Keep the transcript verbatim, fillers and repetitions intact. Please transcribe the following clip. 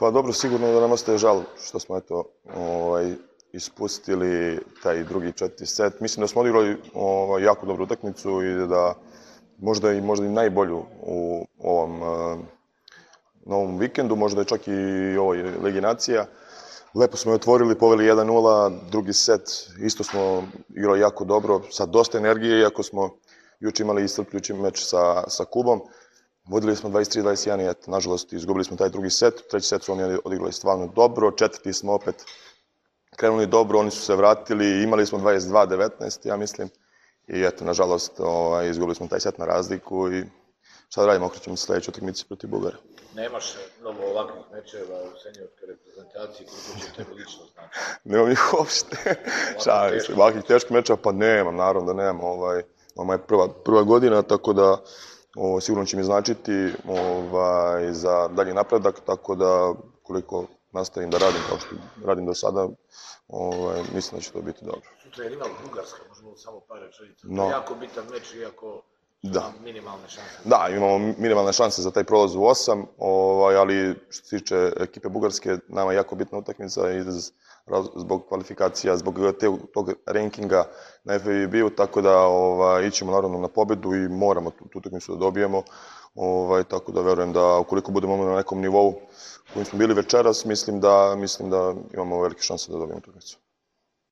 Pa dobro, sigurno da nam ostaje žal što smo eto, ovaj, ispustili taj drugi četvrti set. Mislim da smo odigrali ovaj, jako dobru utakmicu i da možda i, možda i najbolju u ovom uh, novom vikendu, možda je čak i ovoj Ligi nacija. Lepo smo je otvorili, poveli jedan nula, drugi set, isto smo igrali jako dobro, sa dosta energije, iako smo juče imali iscrpljujući meč sa, sa Kubom. Vodili smo dvadeset tri dvadeset jedan i eto, nažalost, izgubili smo taj drugi set. Treći set su oni odigrali stvarno dobro, četvrti smo opet krenuli dobro, oni su se vratili, imali smo dvadeset dva devetnaest, ja mislim. I eto, nažalost, ovaj, izgubili smo taj set na razliku i šta da radimo, okrećemo se sledeću utakmici protiv Bugara. Nemaš mnogo ovakvih mečeva u seniorskoj reprezentaciji, koliko će tebi lično znači? Nemam ih uopšte. Šalim se, ovakvih teških mečeva, pa nemam, naravno da nemam. Ovaj, ovo je prva, prva godina, tako da ovo, sigurno će mi značiti ovaj, za dalji napredak, tako da koliko nastavim da radim kao što radim do sada, ovaj, mislim da će to biti dobro. Sutra je rival Bugarska, možemo samo par rečenica. No. To je jako bitan meč, iako su Da. nam minimalne šanse. Da, imamo minimalne šanse za taj prolaz u osam, ovaj, ali što se tiče ekipe Bugarske, nama je jako bitna utakmica iz, zbog kvalifikacija, zbog te, tog rankinga na F I B-u, tako da ovaj, ićemo naravno na pobedu i moramo tu, tu utakmicu da dobijemo, ovaj, tako da verujem da ukoliko budemo na nekom nivou kojim smo bili večeras, mislim da, mislim da imamo velike šanse da dobijemo utakmicu.